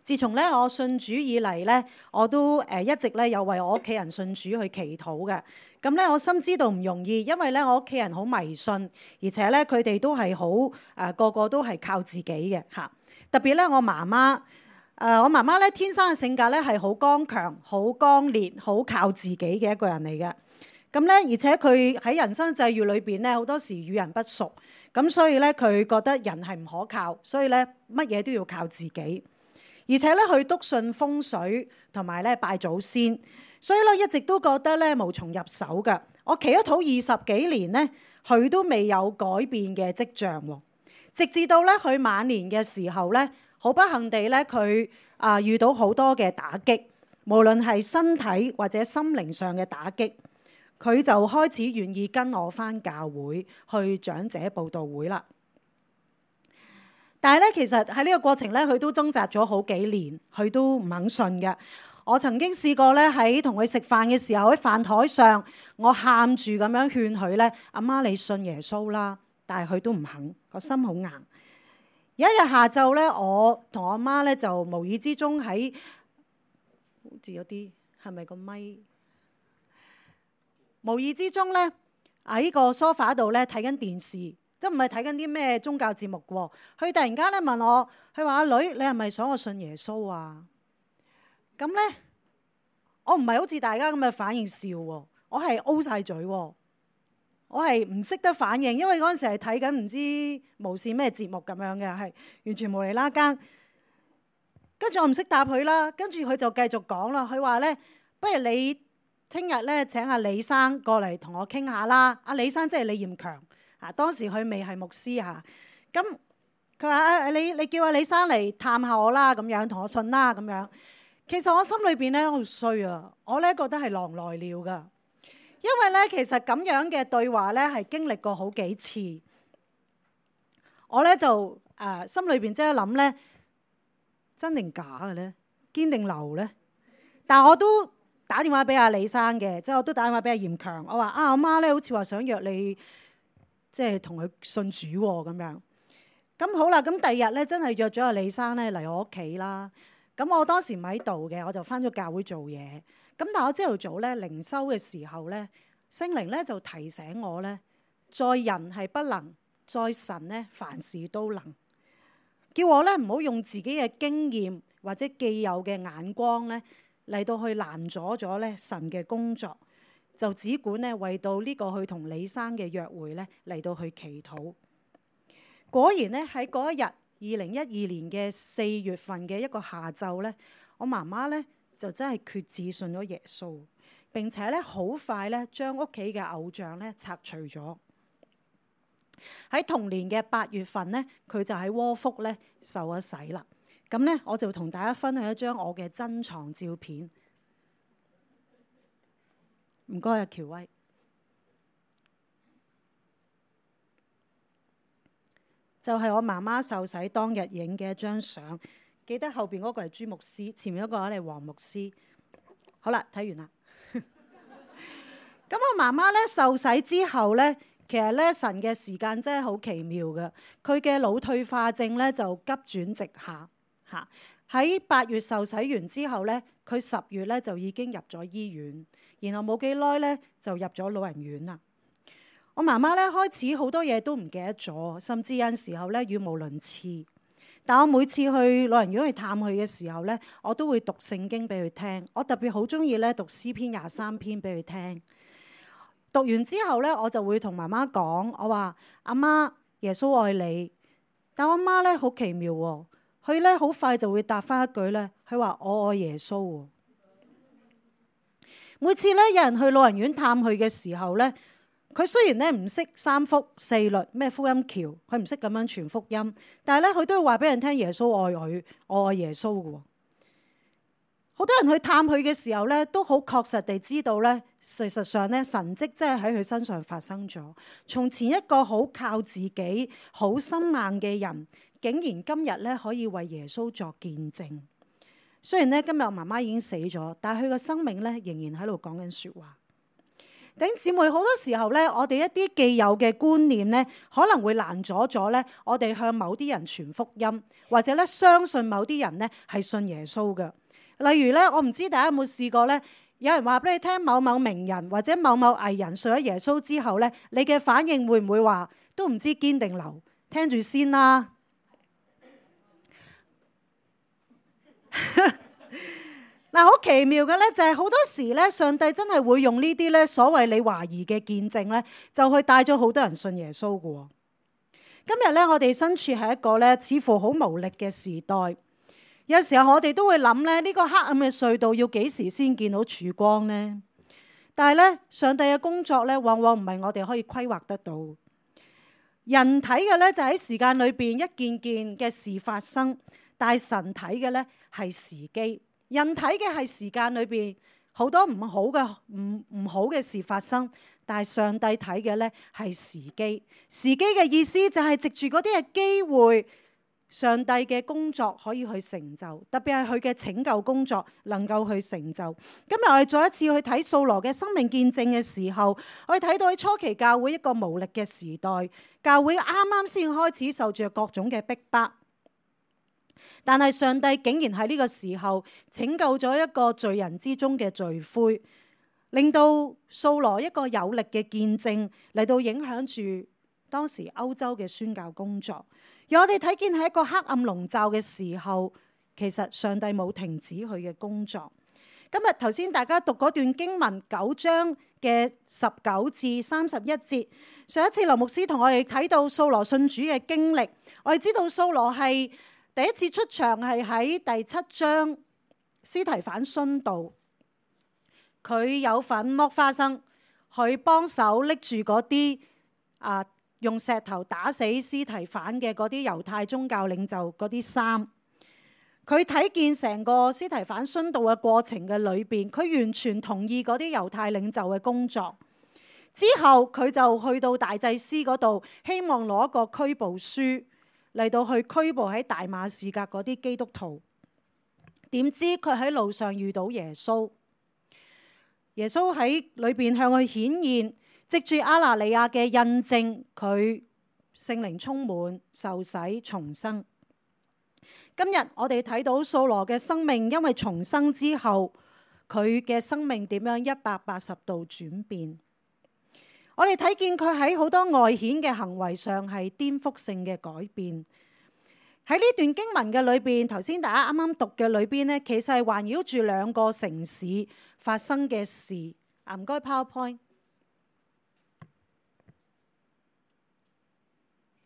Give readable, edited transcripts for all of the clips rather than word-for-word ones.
自從咧我信主以嚟咧，我都一直咧有為我屋企人信主去祈禱嘅。咁咧我深知道唔容易，因為咧我屋企人好迷信，而且咧佢哋都係好個個都係靠自己嘅嚇。特別咧我媽媽，我媽媽咧天生嘅性格咧係好剛強、好剛烈、好靠自己嘅一個人嚟嘅。咁咧而且佢喺人生際遇裏邊咧好多時與人不熟，咁所以咧佢覺得人係唔可靠，所以咧乜嘢都要靠自己。而且咧，佢篤信風水同埋咧拜祖先，所以咧一直都覺得咧無從入手嘅。我祈咗禱20幾年咧，佢都未有改變嘅跡象喎。直至到咧佢晚年嘅時候咧，好不幸地咧佢遇到好多嘅打擊，無論係身體或者心靈上嘅打擊，佢就開始願意跟我返教會去長者佈道會啦。但係咧，其實喺呢個過程咧，佢都掙扎咗好幾年，佢都唔肯信嘅。我曾經試過咧喺同佢食飯嘅時候，喺飯台上，我喊住咁樣勸佢咧：阿媽你信耶穌啦！但係佢都唔肯，個心好硬。有一日下晝咧，我同我媽咧就無意之中喺好似有啲係咪個咪？無意之中咧喺個梳化度咧睇緊電視。都唔係睇緊啲咩宗教節目喎，佢突然間咧問我，佢話：阿女，你係咪想我信耶穌啊？咁咧，我唔係好似大家咁嘅反應笑喎，我係 O 晒嘴喎，我係唔識得反應，因為嗰陣時係睇緊唔知無線咩節目咁樣嘅，係完全無厘啦更。跟住我唔識答佢啦，跟住佢就繼續講啦，佢話咧：不如你聽日咧請阿李生過嚟同我傾下啦。阿李生即係李彥強。當時佢未係牧師嚇，咁佢話：你叫阿李生嚟探下我啦，咁樣同我信啦，咁樣。其實我心裏邊咧好衰啊，我咧覺得係狼來了噶，因為咧其實咁樣嘅對話咧係經歷過好幾次，我咧就心裏邊即係諗咧，真定假嘅咧，堅定流咧？但係我都打電話俾阿李生嘅，即係我都打電話俾阿嚴強，我話：阿媽咧好似話想約你。即係同佢信主喎咁樣，咁好啦。咁第二日咧，真係約咗阿李生咧嚟我屋企啦。咁我當時唔喺度嘅，我就返咗教會做嘢。咁但係我朝頭早咧靈修嘅時候咧，聖靈咧就提醒我咧，在人係不能，在神咧凡事都能。叫我咧唔好用自己嘅經驗或者既有嘅眼光咧嚟到去攔阻咗咧神嘅工作。就只管咧為到呢個去同李生嘅約會咧嚟到去祈禱。果然咧喺嗰一日2012年嘅4月份嘅一個下晝咧，我媽媽咧就真係決志信咗耶穌，並且咧好快咧將屋企嘅偶像咧拆除咗。喺同年嘅8月份咧，佢就喺窩福咧受咗洗啦。咁咧我就同大家分享一張我嘅珍藏照片。唔該啊，喬威，就係我媽媽受洗當日影嘅一張相。記得後邊嗰個係朱牧師，前面嗰個係黃牧師。好啦，睇完啦。咁我媽媽咧受洗之後咧，其實咧神嘅時間真係好奇妙嘅。佢嘅腦退化症咧就急轉直下嚇。喺8月受洗完之後咧，佢10月咧就已經入咗醫院。然後冇幾耐咧就入咗老人院啦。我媽媽咧開始好多嘢都唔記得咗，甚至有陣時候咧語無倫次。但我每次去老人院去探佢嘅時候咧，我都會讀聖經俾佢聽。我特別好中意咧讀詩篇23篇俾佢聽。讀完之後咧，我就會同媽媽講，我話：阿媽，耶穌愛你。但我阿媽咧好奇妙喎，佢咧好快就會答翻一句咧，佢話：我愛耶穌喎。每次咧有人去老人院探佢嘅時候咧，佢雖然咧唔識三福四律咩福音橋，佢唔識咁樣傳福音，但係咧佢都會話俾人聽耶穌愛佢，我愛耶穌嘅。好多人去探佢嘅時候咧，都好確實地知道咧，事實上咧神蹟真係喺佢身上發生咗。從前一個好靠自己、好心硬嘅人，竟然今日咧可以為耶穌作見證。雖然咧今日我媽媽已經死咗，但係佢嘅生命咧仍然喺度講緊説話。弟兄姊妹，好多時候咧，我哋一啲既有嘅觀念咧，可能會攔阻咗咧我哋向某啲人傳福音，或者咧相信某啲人咧係信耶穌嘅。例如咧，我唔知大家有冇試過咧，有人話俾你聽某某名人或者某某藝人信咗耶穌之後咧，你嘅反應會唔會話都唔知堅定流，聽住先啦？嗱，好奇妙嘅咧，就係好多時咧，上帝真係會用呢啲咧所謂你懷疑嘅見證咧，就去帶咗好多人信耶穌嘅。今日咧，我哋身處係一個咧似乎好無力嘅時代，有時候我哋都會諗咧，呢個黑暗嘅隧道要幾時先見到曙光呢？但係咧，上帝嘅工作咧，往往唔係我哋可以規劃得到。人睇嘅咧就喺時間裏邊一件件嘅事發生，但係神睇嘅咧係時機。人睇嘅係時間裏邊好多唔好嘅事發生，但係上帝睇嘅咧係時機。時機嘅意思就係藉住嗰啲嘅機會，上帝嘅工作可以去成就，特別係佢嘅拯救工作能夠去成就。今日我哋再一次去睇掃羅嘅生命見證嘅時候，我哋睇到喺初期教會一個無力嘅時代，教會啱啱先開始受住各種嘅逼迫。但係上帝竟然喺呢個時候拯救咗一個罪人之中嘅罪魁，令到掃羅一個有力嘅見證嚟到影響住當時歐洲嘅宣教工作。而我哋睇見喺一個黑暗籠罩嘅時候，其實上帝冇停止佢嘅工作。今日頭先大家讀嗰段經文9章嘅19至31節，上一次劉牧師同我哋睇到掃羅信主嘅經歷，我哋知道掃羅係第一次出場係喺第7章，司提反殉道，佢有份剝花生，佢幫手拎住嗰啲用石頭打死司提反嘅嗰啲猶太宗教領袖嗰啲衫。佢睇見成個司提反殉道嘅過程嘅裏邊，佢完全同意嗰啲猶太領袖嘅工作。之後佢就去到大祭司嗰度，希望攞一個拘捕書嚟到去拘捕喺大馬士革嗰啲基督徒。點知佢喺路上遇到耶穌，耶穌喺裏邊向佢顯現，藉住亞拿尼亞嘅印證，佢聖靈充滿，受洗重生。今日我哋睇到掃羅嘅生命，因為重生之後，佢嘅生命點樣180度轉變。我哋睇見佢喺好多外顯嘅行為上係顛覆性嘅改變。喺呢段經文嘅裏邊，頭先大家啱啱讀嘅裏邊呢，其實係環繞住2個城市發生嘅事。唔該 PowerPoint，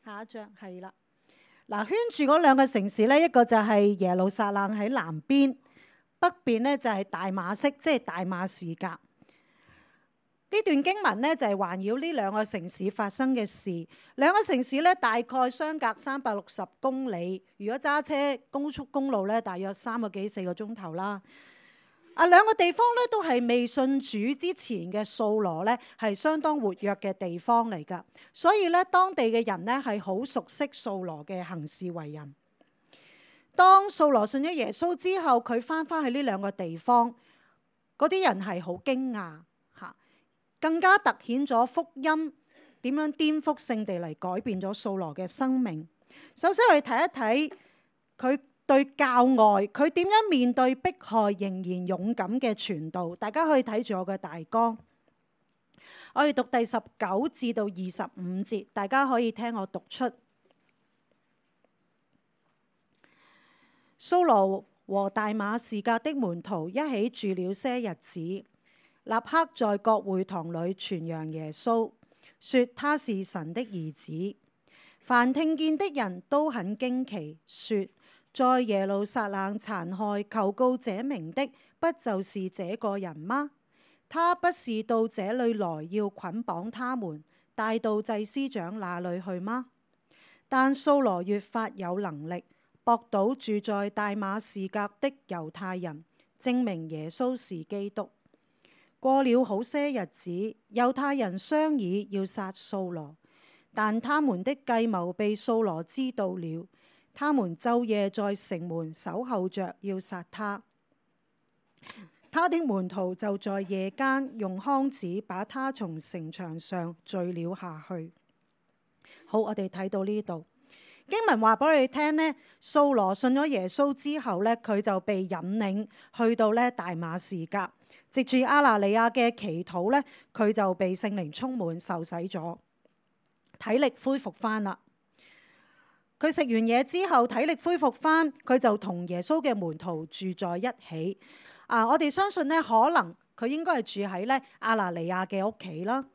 下一張係啦。嗱，圈住嗰2個城市呢，一個就係耶路撒冷喺南邊，北邊呢就係大馬色，即係大馬士革。呢段經文呢，就係環繞呢2個城市發生嘅事。2個城市呢，大概相隔360公里，如果揸車高速公路呢，大約3個幾4個鐘頭啦。2個地方呢，都係未信主之前嘅掃羅呢，係相當活躍嘅地方嚟㗎。所以呢，當地嘅人呢，係好熟悉掃羅嘅行事為人。當掃羅信咗耶穌之後，佢翻返去呢2個地方，嗰啲人係好驚訝。更加突顯咗福音點樣顛覆性地嚟改變咗掃羅嘅生命。首先我哋睇一睇佢對教外，佢點樣面對迫害仍然勇敢嘅傳道。大家可以睇住我嘅大綱，我哋讀第19至到25節，大家可以聽我讀出。掃羅和大馬士革的門徒一起住了些日子，立刻在各會堂裏傳揚耶穌，說他是神的兒子。凡聽見的人都很驚奇，說在耶路撒冷殘害求告這名的，不就是這個人嗎？他不是到這裏來要捆綁他們，帶到祭司長那裏去嗎？但掃羅越發有能力，駁倒住在大馬士革的猶太人，證明耶穌是基督。過了好些日子，猶太人商議要殺掃羅，但他們的計謀被掃羅知道了，他們晝夜在城門守候着要殺他。他的門徒就在夜間用筐子把他從城牆上墜了下去。好，我哋睇到呢度經文話俾我哋聽呢，掃羅信咗耶穌之後呢，佢就被引領去到呢大馬士革，藉住亞拿尼亞嘅祈禱呢，佢就被聖靈充滿，受洗咗，體力恢復翻啦。佢食完嘢之後，體力恢復翻，佢就同耶穌嘅門徒住在一起。我哋相信呢，可能佢應該係住喺呢亞拿尼亞嘅屋企啦。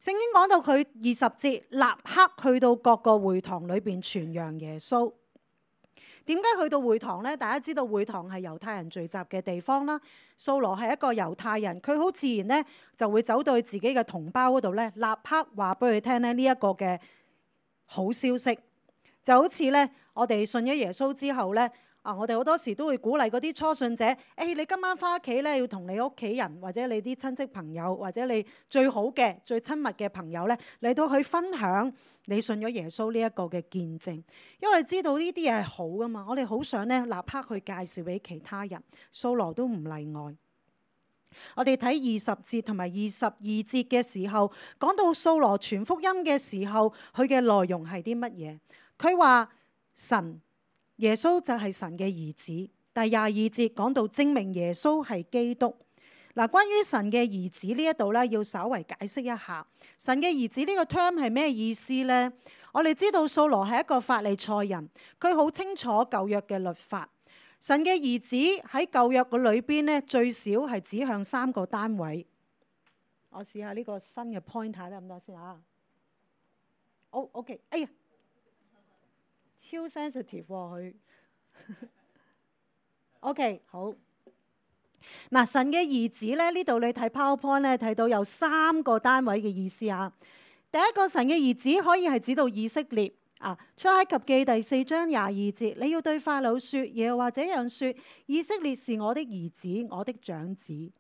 聖經講到佢20節，立刻去到各個會堂裏邊傳揚耶穌。點解去到會堂呢？大家知道會堂係猶太人聚集嘅地方啦。掃羅係一個猶太人，佢好自然呢就會走到去自己嘅同胞嗰度呢，立刻話俾佢聽呢一個嘅好消息。就好似呢，我哋信咗耶穌之後呢，我哋好多時都會鼓勵嗰啲初信者，你今晚翻屋企咧，要同你屋企人或者你啲親戚朋友或者你最好嘅最親密嘅朋友咧，嚟到去分享你信咗耶穌呢一個嘅見證，因為知道呢啲嘢係好噶嘛，我哋好想咧立刻去介紹俾其他人。掃羅都唔例外。我哋睇20節同埋22節嘅時候，講到掃羅傳福音嘅時候，佢嘅內容係啲乜嘢？佢話耶穌就係神嘅兒子。第22節講到證明耶穌係基督。關於神嘅兒子呢一度咧，要稍為解釋一下。神嘅兒子呢個 term 係咩意思呢？我哋知道掃羅係一個法利賽人，佢好清楚舊約嘅律法。神嘅兒子喺舊約嘅裏邊咧，最少係指向3個單位。我試下呢個新嘅 point 睇得唔得先啊？OK， 哎呀！超 sensitive 佢，OK 好。神嘅兒子咧，呢度你睇 PowerPoint 咧，睇到有3個單位嘅意思啊。第一個，神嘅兒子可以係指到以色列啊。出埃及記第4章22節，你要對法老說，耶和華這樣說：以色列是我的兒子，我的長子。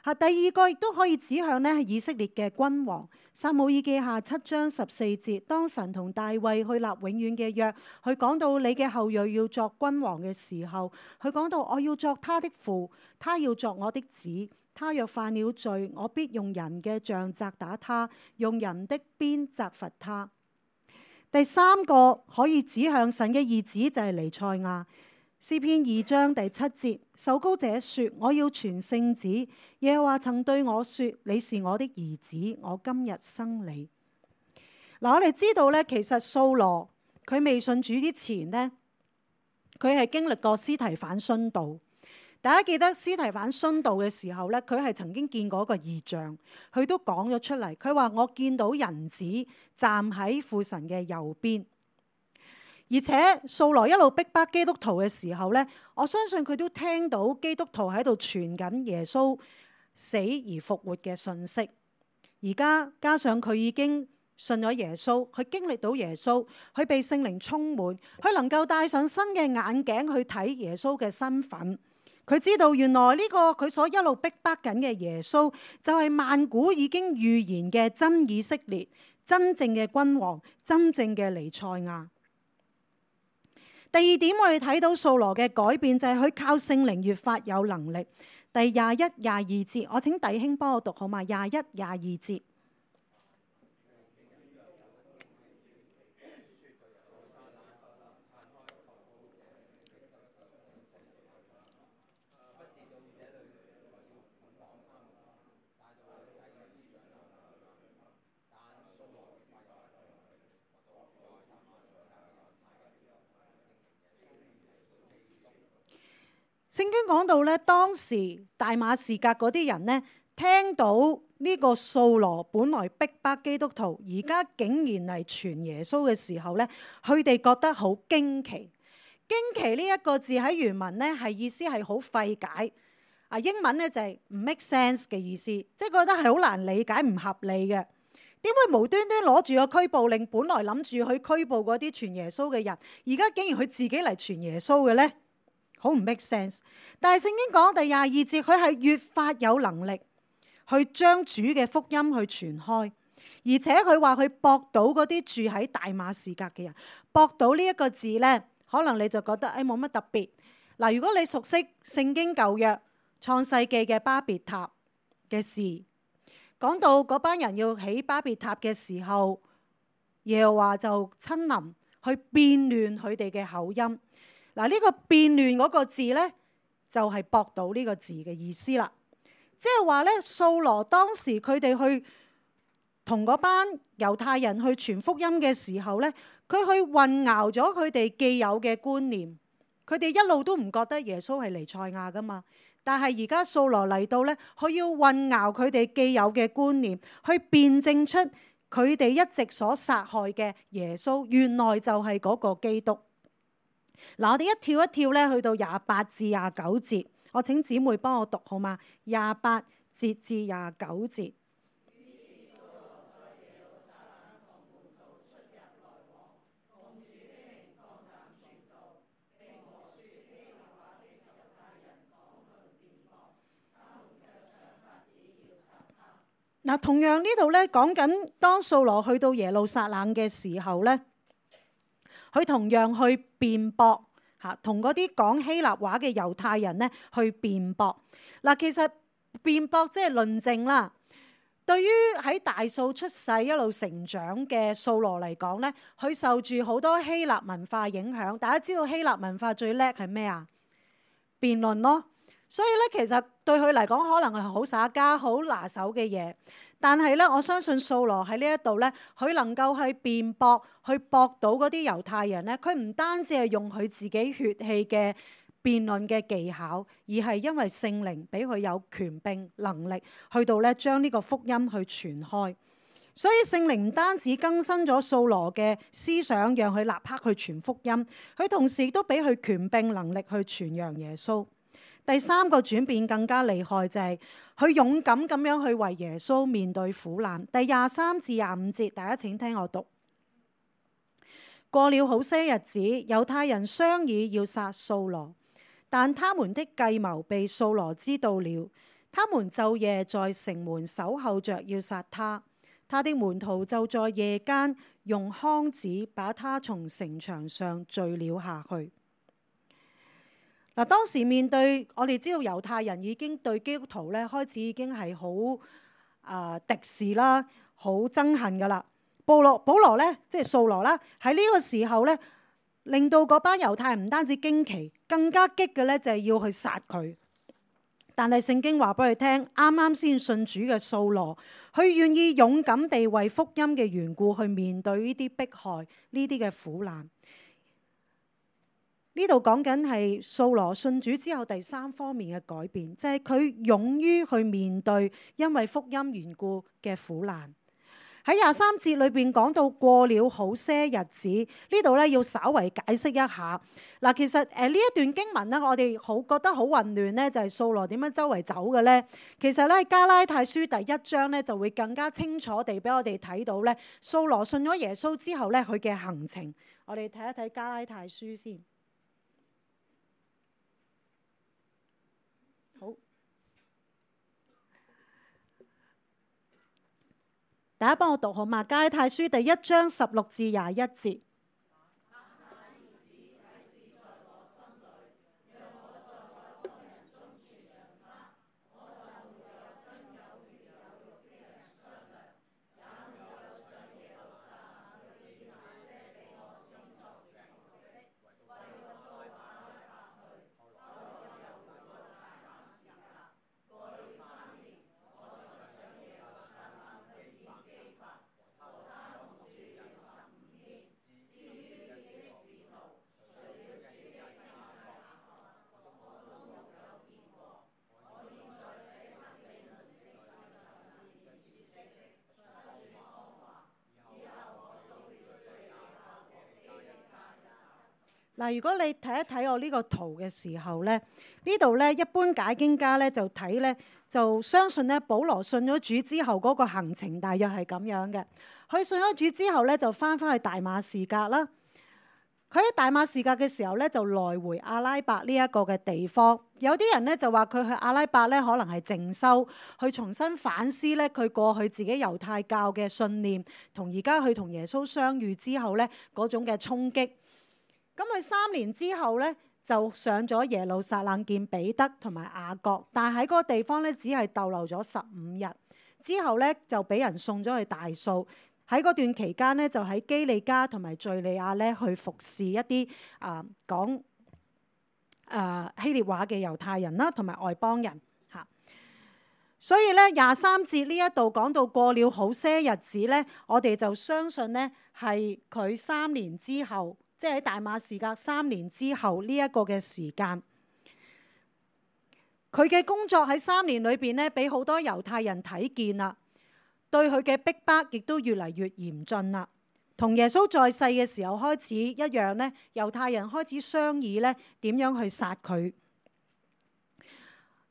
第二個亦都可以指向呢以色列嘅君王。撒母耳記下7章14節，當神同大衛去立永遠嘅約，佢講到你嘅後裔要作君王嘅時候，佢講到我要作他的父，他要作我的子。他若犯了罪，我必用人嘅杖責打他，用人的鞭責罰他。第三個可以指向神嘅兒子就係彌賽亞。詩篇2章第7節，受膏者說：我要傳聖旨。耶和華曾對我說：你是我的兒子，我今日生你。我哋知道咧，其實掃羅佢未信主之前呢，佢係經歷過司提反殉道。大家記得司提反殉道嘅時候咧，佢係曾經見過一個異象，佢都講咗出嚟。佢話我見到人子站喺父神嘅右邊。而且掃羅一路逼迫基督徒嘅時候呢，我相信佢都聽到基督徒喺度傳緊耶穌死而復活嘅信息。而家加上佢已經信咗耶穌，佢經歷到耶穌，佢被聖靈充滿，佢能夠戴上新嘅眼鏡去睇耶穌嘅身份。佢知道原來呢個佢所一路逼迫緊嘅耶穌，就係萬古已經預言嘅真以色列，真正嘅君王，真正嘅彌賽亞。第二點，我哋睇到掃羅嘅改變就係佢靠聖靈越發有能力。第21、22節，我請弟兄幫我讀好嘛？21、22節。聖經講到咧，當時大馬士革嗰啲人呢，聽到呢個掃羅本來逼迫基督徒，而家竟然嚟傳耶穌嘅時候呢，佢哋覺得好驚奇。驚奇呢一個字喺原文呢係意思係好費解。英文呢就係唔 make sense 嘅意思，即係覺得係好難理解、唔合理嘅。點會無端端攞住個拘捕令，本來諗住去拘捕嗰啲傳耶穌嘅人，而家竟然佢自己嚟傳耶穌嘅呢？好唔 make sense， 但係聖經講第22節，佢係越發有能力去將主嘅福音去傳開，而且佢話佢駁到嗰啲住喺大馬士革嘅人。駁到呢一個字呢，可能你就覺得冇乜特別。嗱，如果你熟悉聖經舊約創世記嘅巴別塔嘅事，講到嗰班人要起巴別塔嘅時候，耶和華就親臨去變亂佢哋嘅口音。嗱，呢個變亂嗰個字呢，就係駁倒呢個字嘅意思啦。即係話呢，掃羅當時佢哋去同嗰班猶太人去傳福音嘅時候呢，佢去混淆咗佢哋既有嘅觀念。佢哋一路都唔覺得耶穌係彌賽亞噶嘛，但係而家掃羅嚟到呢，佢要混淆佢哋既有嘅觀念，去辯證出佢哋一直所殺害嘅耶穌，原來就係嗰個基督。嗱，我哋一跳一跳咧，去到28至29節，我請姊妹幫我讀好嗎？28節至29節。嗱，同樣呢度咧講緊，當掃羅去到耶路撒冷嘅時候咧，佢同樣去辯駁嚇，同嗰啲講希臘話嘅猶太人咧去辯駁。嗱，其實辯駁即係論證啦。對於喺大數出世一路成長嘅掃羅嚟講咧，佢受住好多希臘文化影響。大家知道希臘文化最叻係咩啊？辯論咯。所以咧，其實對佢嚟講，可能係好耍家、好拿手嘅嘢。但係咧，我相信掃羅喺呢一度咧，佢能夠去辯駁、去駁倒嗰啲猶太人咧。佢唔單止係用佢自己血氣嘅辯論嘅技巧，而係因為聖靈俾佢有權柄能力，去到咧將呢個福音去傳開。所以聖靈唔單止更新咗掃羅嘅思想，讓佢立刻去傳福音，佢同時亦都俾佢權柄能力去傳揚耶穌。第三個轉變更加厲害，就係佢勇敢咁樣去為耶穌面對苦難。第23至25節，大家請聽我讀。過了好些日子，猶太人商議要殺掃羅，但他們的計謀被掃羅知道了，他們晝夜在城門守候着要殺他。他的門徒就在夜間用筐子把他從城牆上墜了下去。嗱，當時面對，我哋知道猶太人已經對基督徒咧開始已經係好敵視啦，好憎恨噶啦。保羅咧，即係掃羅啦，喺呢個時候咧，令到嗰班猶太人唔單止驚奇，更加激嘅咧就係要去殺佢。但係聖經話俾佢聽，啱啱先信主嘅掃羅，佢願意勇敢地為福音嘅緣故去面對呢啲迫害、呢啲嘅苦難。呢度講緊係掃羅信主之後第三方面嘅改變，就係佢勇於去面對因為福音緣故嘅苦難。喺23節裏邊講到過了好些日子，呢度咧要稍為解釋一下。嗱，其實呢一段經文咧，我哋覺得好混亂咧，就係掃羅點樣周圍走嘅咧。其實咧，加拉太書第1章咧就會更加清楚地俾我哋睇到咧，掃羅信咗耶穌之後咧佢嘅行程。我哋睇一睇加拉太書先。好，大家幫我讀好嘛？加拉太書第1章16至21節。嗱，如果你睇一睇我呢個圖嘅時候咧，呢度咧一般解經家咧就睇咧就相信咧保羅信咗主之後嗰個行程大約係咁樣嘅。佢信咗主之後咧就翻去大馬士革啦。佢喺大馬士革嘅時候咧就來回阿拉伯呢一個嘅地方。有啲人咧就話佢去阿拉伯咧可能係靜修，去重新反思咧佢過去自己猶太教嘅信念，同而家佢同耶穌相遇之後咧嗰種嘅衝擊。咁佢3年之後咧，就上咗耶路撒冷見彼得同埋雅各，但係喺嗰個地方咧只係逗留咗15日，之後咧就俾人送咗去大數。喺嗰段期間咧，就喺基利家同埋敘利亞咧去服侍一啲講希臘話嘅猶太人啦，同埋外邦人嚇。所以咧23節呢一度講到過了好些日子咧，我哋就相信咧係佢3年之後，即係喺大馬士革3年之後呢一個嘅時間。佢嘅工作喺3年裏邊咧，俾好多猶太人睇見啦。對佢嘅逼迫亦都越嚟越嚴峻啦，同耶穌在世嘅時候開始一樣咧，猶太人開始商議咧點樣去殺佢。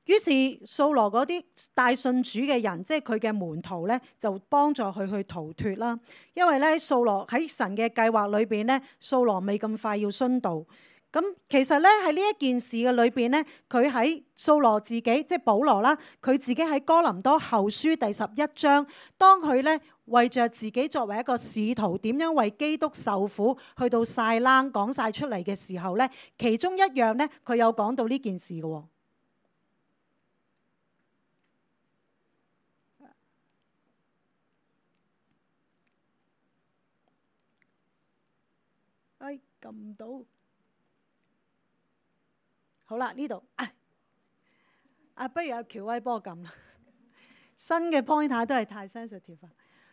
於是掃羅嗰啲帶信主嘅人，即係佢嘅門徒咧，就幫助佢去逃脫啦。因為咧掃羅喺神嘅計劃裏邊咧，掃羅未咁快要殉道。咁其實咧喺呢一件事嘅裏邊咧，佢喺掃羅自己即係保羅啦，佢自己喺哥林多後書第11章，當佢咧為着自己作為一個使徒點樣為基督受苦，去到晒冷講晒出嚟嘅時候咧，其中一樣咧佢有講到呢件事嘅。撳唔到。好啦，呢度不如阿喬威幫我撳啦。新嘅 pointer 都係太 sensitive。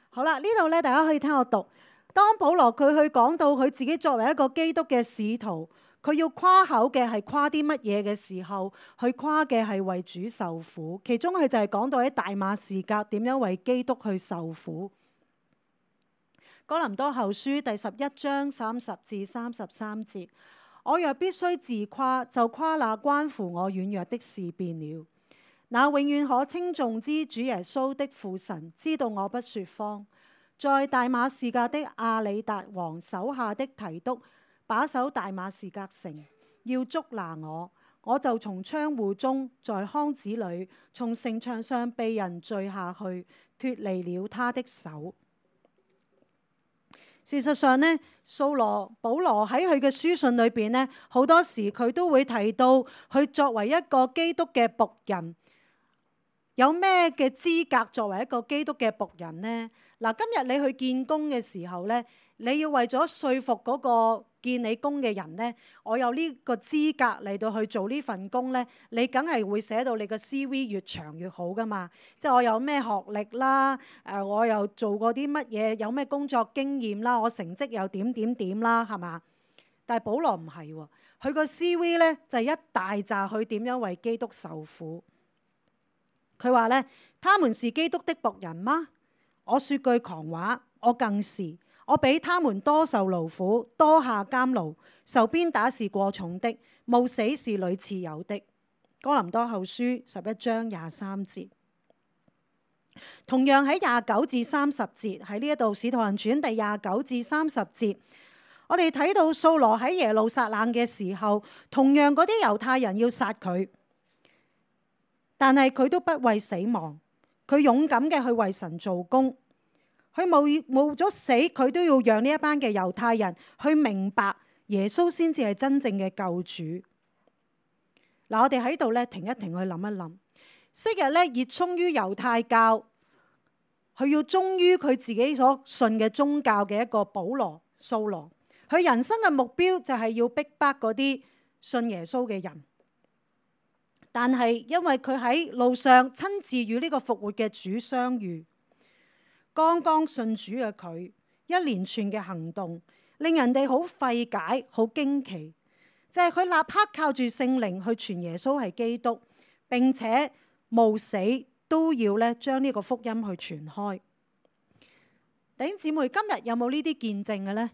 好啦，呢度咧大家可以聽我讀。當保羅佢去講到佢自己作為一個基督嘅使徒，佢要誇口嘅係誇啲乜嘢嘅時候，佢誇嘅係為主受苦。其中佢就係講到喺大馬士革點樣為基督去受苦。哥林多後書第11章30至33節。我若必須自誇，就誇那關乎我軟弱的事變了。那永遠可稱頌之主耶穌的父神知道我不說謊。在大馬士革的亞里達王手下的提督把守大馬士革城，要捉拿我，我就從窗戶中，在筐子裏，從城牆上被人墜下去，脫離了他的手。事實上呢，保羅喺佢嘅書信裏邊呢，好多時佢都會提到佢作為一個基督嘅僕人，有咩嘅資格作為一個基督嘅僕人呢？嗱，今日你去見工嘅時候呢，你要為咗說服嗰個見你工嘅人呢，我有呢個資格嚟到去做呢份工呢，你梗係會寫到你個 CV 越長越好噶嘛。即係我有咩學歷啦，我又做過啲乜嘢，有咩工作經驗啦，我成績又點點點啦，係嘛？但係保羅唔係喎，佢個 CV 呢就係一大紮佢點樣為基督受苦。佢話呢，他們是基督的僕人嗎？我說句狂話，我更是。我比他們多受勞苦，多下監牢，受鞭打是過重的，冒死是屢次有的。哥林多後書11章23節。同樣喺29至30節，喺呢一度使徒行傳第29至30節，我哋睇到掃羅喺耶路撒冷嘅時候，同樣嗰啲猶太人要殺佢，但係佢都不畏死亡，佢勇敢嘅去為神做工。佢冒咗死，佢都要讓呢一班嘅猶太人去明白耶穌先至係真正嘅救主。嗱，我哋喺度咧停一停去諗一諗。昔日咧熱衷於猶太教，佢要忠於佢自己所信嘅宗教嘅一個掃羅，佢人生嘅目標就係要逼迫嗰啲信耶穌嘅人。但係因為佢喺路上親自與呢個復活嘅主相遇。剛剛信主嘅佢，一連串嘅行動令人哋好費解、好驚奇，就係佢立刻靠住聖靈去傳耶穌係基督，並且冒死都要咧將呢個福音去傳開。弟兄姊妹，今日有冇呢啲見證嘅呢？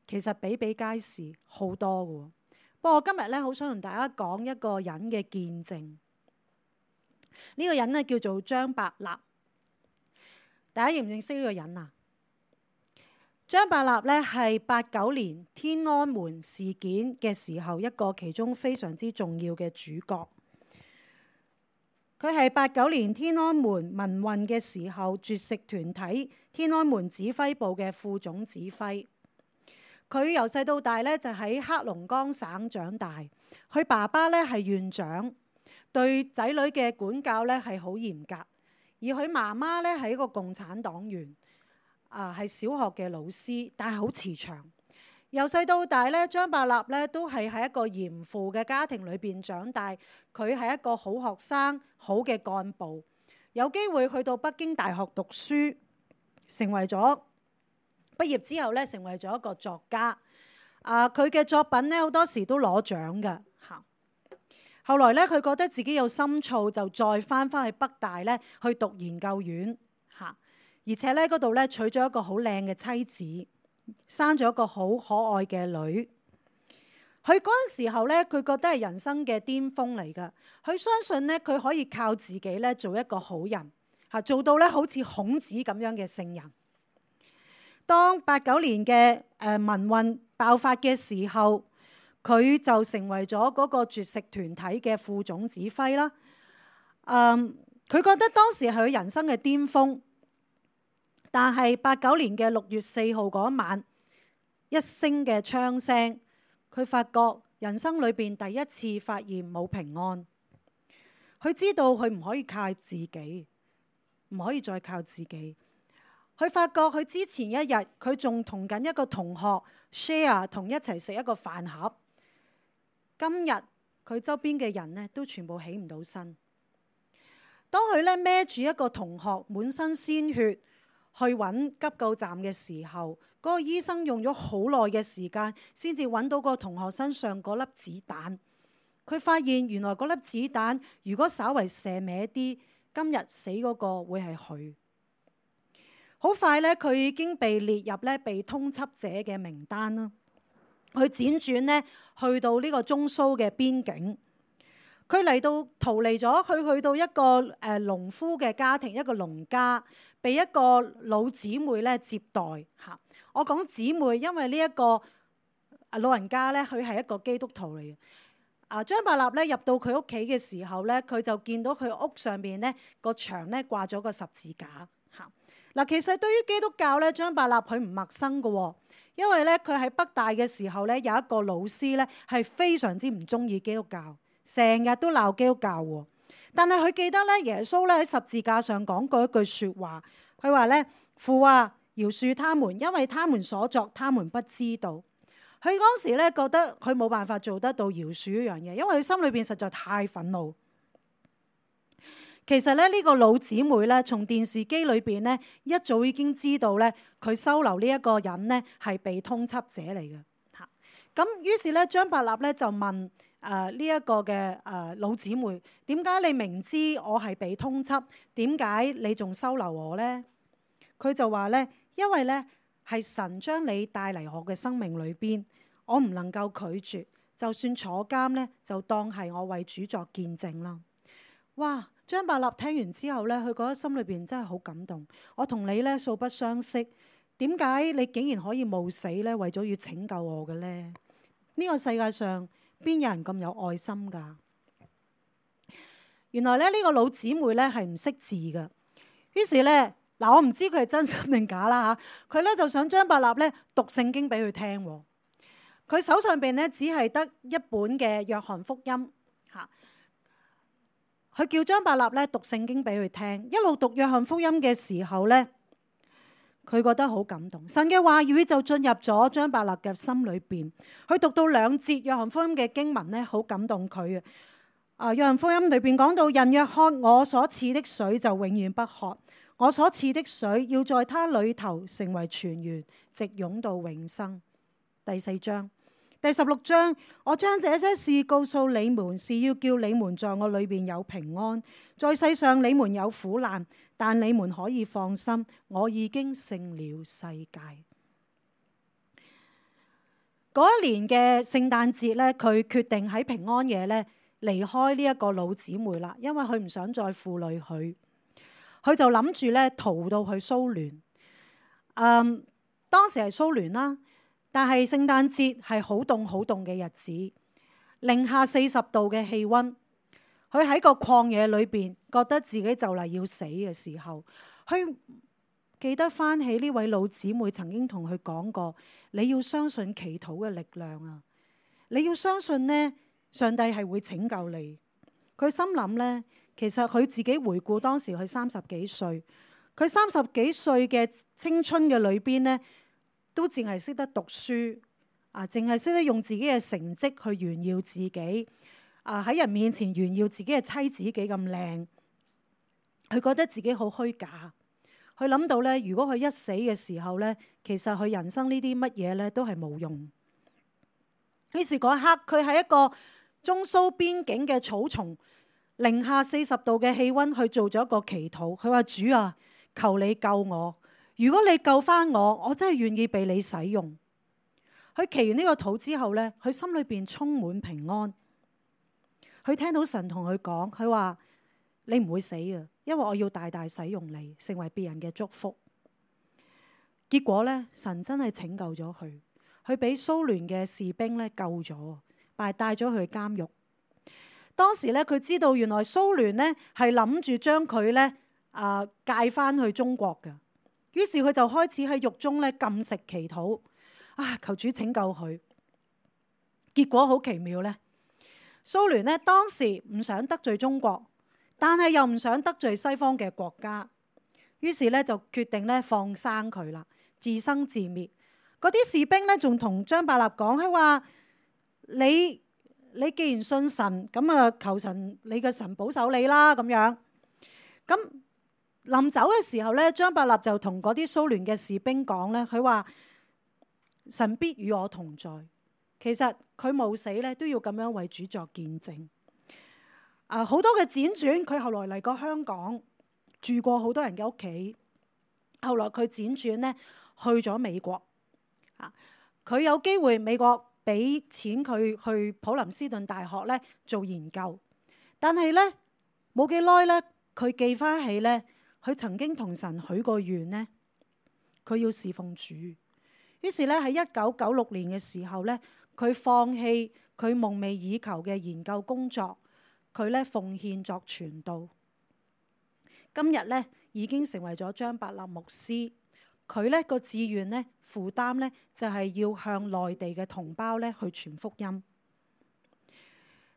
其實比比皆是，好多嘅。不過我今日咧好想同大家講一個人嘅見證。呢個人咧叫做張伯納。大家認唔認識呢個人啊？張伯納咧係89年天安門事件嘅時候一個其中非常之重要嘅主角。佢係89年天安門民運嘅時候絕食團體天安門指揮部嘅副總指揮。佢由細到大咧就喺黑龍江省長大。佢爸爸咧係縣長，對仔女嘅管教咧係好嚴格。而佢媽媽咧係一個共產黨員，係小學嘅老師，但係好慈祥。由細到大咧，張伯納咧都係喺一個嚴父嘅家庭裏邊長大。佢係一個好學生、好嘅幹部，有機會去到北京大學讀書，成為咗畢業之後咧，成為咗一個作家。佢嘅作品咧好多時都攞獎㗎嚇。後來咧，佢覺得自己有深造，就再翻去北大咧去讀研究院嚇，而且咧嗰度咧娶咗一個好靚嘅妻子，生咗一個好可愛嘅女。佢嗰陣時候咧，佢覺得係人生嘅巔峰嚟㗎。佢相信咧，佢可以靠自己咧做一個好人嚇，做到咧好似孔子咁樣嘅聖人。當89年嘅民運爆發嘅時候，佢就成為咗嗰個絕食團體嘅副總指揮啦。佢覺得當時係佢人生嘅巔峰，但係89年嘅6月4號嗰晚，一聲嘅槍聲，佢發覺人生裏邊第一次發現冇平安。佢知道佢唔可以靠自己，唔可以再靠自己。佢發覺佢之前一日佢仲同緊一個同學 share 同一齊食一個飯盒。今日佢周邊嘅人咧都全部起唔到身。當佢咧孭住一個同學滿身鮮血去揾急救站嘅時候，嗰個醫生用咗好耐嘅時間先至揾到個同學身上嗰粒子彈。佢發現原來嗰粒子彈如果稍為射歪啲，今日死嗰個會係佢。好快咧，佢已經被列入咧被通緝者嘅名單啦。佢輾轉咧去到呢個中蘇嘅邊境，佢嚟到逃離咗，佢去到一個農夫嘅家庭，一個農家，被一個老姊妹咧接待嚇。我講姊妹，因為呢一個老人家咧，佢係一個基督徒嚟嘅。張伯納咧入到佢屋企嘅時候咧，佢就見到佢屋上邊咧個牆咧掛咗個十字架嚇。嗱，其實對於基督教咧，張伯納佢唔陌生嘅喎。因為咧，佢喺北大嘅時候咧，有一個老師咧係非常之唔中意基督教，成日都鬧基督教喎。但係佢記得咧，耶穌咧喺十字架上講過一句説話，佢話咧：父啊，饒恕他們，因為他們所作，他們不知道。佢嗰時咧覺得佢冇辦法做得到饒恕呢樣嘢，因為佢心裏邊實在太憤怒。其實咧，呢個老姊妹咧，從電視機裏邊咧一早已經知道咧，佢收留呢一個人咧係被通緝者嚟嘅嚇。咁於是咧，張伯納咧就問呢一個嘅老姊妹：點解你明知我係被通緝，點解你仲收留我咧？佢就話咧：因為咧係神將你帶嚟我嘅生命裏邊，我唔能夠拒絕，就算坐監咧，就當係我為主作見證啦。哇！張伯納聽完之後咧，佢覺得心裏邊真係好感動。我同你咧素不相識，點解你竟然可以冒死咧，為咗要拯救我嘅咧？呢個世界上邊有人咁有愛心㗎？原來咧呢個老姊妹咧係唔識字㗎，於是咧嗱，我唔知佢係真心定假啦嚇。佢咧就想張伯納咧讀聖經俾佢聽。佢手上邊咧只係得一本嘅約翰福音嚇。佢叫張伯納咧讀聖經俾佢聽，一路讀約翰福音嘅時候咧，佢覺得好感動。神嘅話語就進入咗張伯納嘅心裏邊。佢讀到2節約翰福音嘅經文咧，好感動佢啊。約翰福音裏邊講到：人若喝我所賜的水，就永遠不渴；我所賜的水要在他裏頭成為泉源，直湧到永生。第4章。第16章，我將這些事告訴你們，是要叫你們在我裏邊有平安。在世上你們有苦難，但你們可以放心，我已經勝了世界。嗰一年嘅聖誕節咧，佢決定喺平安夜咧離開呢一個老姊妹啦，因為佢唔想再負累佢。佢就諗住咧逃到去蘇聯。當時係蘇聯啦。但係聖誕節係好凍好凍嘅日子，-40度嘅氣温。佢喺個曠野裏邊，覺得自己就嚟要死嘅時候，佢記得翻起呢位老姊妹曾經同佢講過，你要相信祈禱嘅力量啊！你要相信呢，上帝係會拯救你。佢心諗呢，其實佢自己回顧當時佢30幾歲，佢30幾歲嘅青春嘅裏邊呢，都淨係識得讀書啊，淨係識得用自己嘅成績去炫耀自己啊，喺人面前炫耀自己嘅妻子幾咁靚，佢覺得自己好虛假。佢諗到咧，如果佢一死嘅時候咧，其實佢人生呢啲乜嘢咧都係冇用。於是嗰一刻，佢喺一個中蘇邊境嘅草叢，-40度嘅氣溫去做咗一個祈禱。佢話：主啊，求你救我！如果你救翻我，我真係願意被你使用。佢祈完呢個禱之後咧，佢心裏邊充滿平安。佢聽到神同佢講，佢話：你唔會死啊！因為我要大大使用你，成為別人嘅祝福。結果咧，神真係拯救咗佢，佢俾蘇聯嘅士兵咧救咗，但係帶咗佢去監獄。當時咧，佢知道原來蘇聯咧係諗住將佢咧介翻去中國嘅，於是佢就開始喺獄中咧禁食祈禱，求主拯救佢。結果好奇妙咧，蘇聯咧當時唔想得罪中國，但係又唔想得罪西方嘅國家，於是咧就決定咧放生佢啦，自生自滅。嗰啲士兵咧仲同張伯納講，佢話：你既然信神，咁啊求神，你嘅神保守你啦咁樣。咁臨走嘅時候咧，張伯納就同嗰啲蘇聯嘅士兵講咧，佢話：神必與我同在。其實佢冇死咧，都要咁樣為主作見證。好多嘅輾轉，佢後來嚟過香港，住過好多人嘅屋企。後來佢輾轉咧去咗美國。佢有機會美國俾錢佢去普林斯頓大學咧做研究，但係咧冇幾耐咧，佢記翻起咧，佢曾經同神許過願咧，佢要侍奉主。於是咧喺1996年嘅時候咧，佢放棄佢夢寐以求嘅研究工作。佢咧奉獻作傳道，今日咧已經成為咗張伯納牧師。佢咧個志願咧負擔咧就係要向內地嘅同胞咧去傳福音。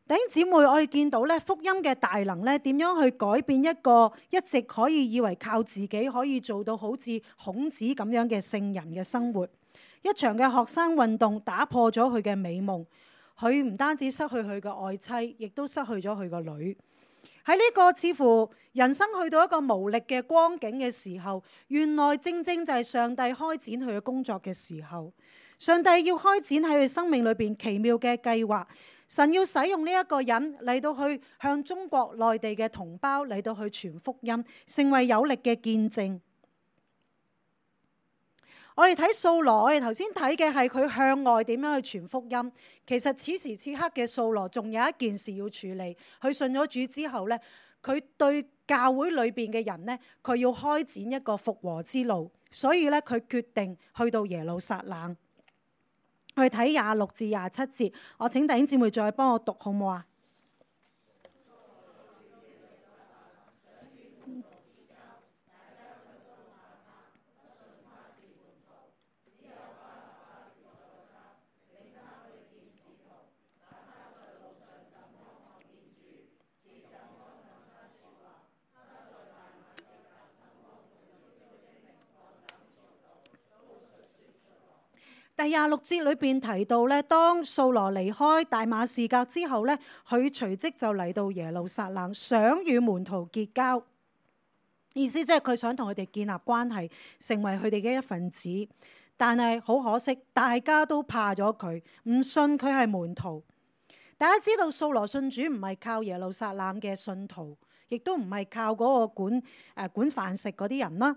弟兄姊妹，我哋見到咧福音嘅大能咧點樣去改變一個一直可以以為靠自己可以做到好似孔子咁樣嘅聖人嘅生活。一場嘅學生運動打破咗佢嘅美夢。佢唔單止失去佢嘅愛妻，亦都失去咗佢個女。喺呢個似乎人生去到一個無力嘅光景嘅時候，原來正正就係上帝開展佢嘅工作嘅時候。上帝要開展喺佢生命裏邊奇妙嘅計劃。神要使用呢一個人嚟到去向中國內地嘅同胞嚟到去傳福音，成為有力嘅見證。我哋睇掃羅，我哋頭先睇嘅係佢向外點樣去傳福音。其實此時此刻嘅掃羅仲有一件事要處理。佢信咗主之後呢，佢對教會裏邊嘅人呢，佢要開展一個復和之路。所以呢，佢決定去到耶路撒冷。我哋睇26至27節，我請弟兄姊妹再幫我讀好唔好啊？第26節裏邊提到咧，當掃羅離開大馬士革之後咧，佢隨即就嚟到耶路撒冷，想與門徒結交。意思即係佢想同佢哋建立關係，成為佢哋嘅一份子。但係好可惜，大家都怕咗佢，唔信佢係門徒。大家知道掃羅信主唔係靠耶路撒冷嘅信徒，亦都唔係靠嗰個管飯食嗰啲人啦。